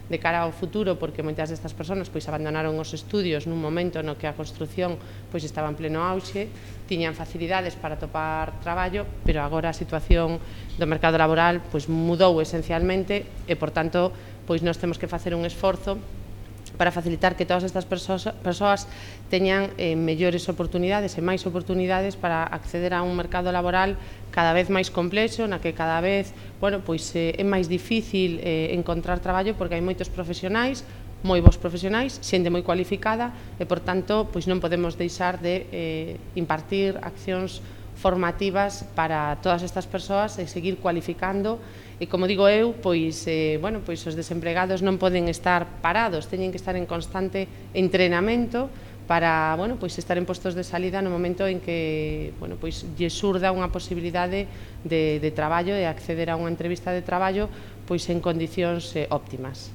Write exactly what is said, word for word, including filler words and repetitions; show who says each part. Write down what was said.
Speaker 1: de cara ao futuro, porque moitas destas persoas pois abandonaron os estudios nun momento no que a construción pois estaba en pleno auxe, tiñan facilidades para topar traballo, pero agora a situación do mercado laboral pois mudou esencialmente e, por tanto, pois nós temos que facer un esforzo para facilitar que todas estas persoas teñan eh, mellores oportunidades e máis oportunidades para acceder a un mercado laboral cada vez máis complexo, na que cada vez bueno, pois, eh, é máis difícil eh, encontrar traballo porque hai moitos profesionais, moi bons profesionais, xente moi cualificada e, por tanto, pois non podemos deixar de eh, impartir accións formativas para todas estas persoas e seguir cualificando. E, como digo eu, pois, eh, bueno, pois os desempregados non poden estar parados, teñen que estar en constante entrenamento para, bueno, pois estar en postos de salida no momento en que, bueno, pois lle surda unha posibilidade de, de traballo e acceder a unha entrevista de traballo pois en condicións eh, óptimas.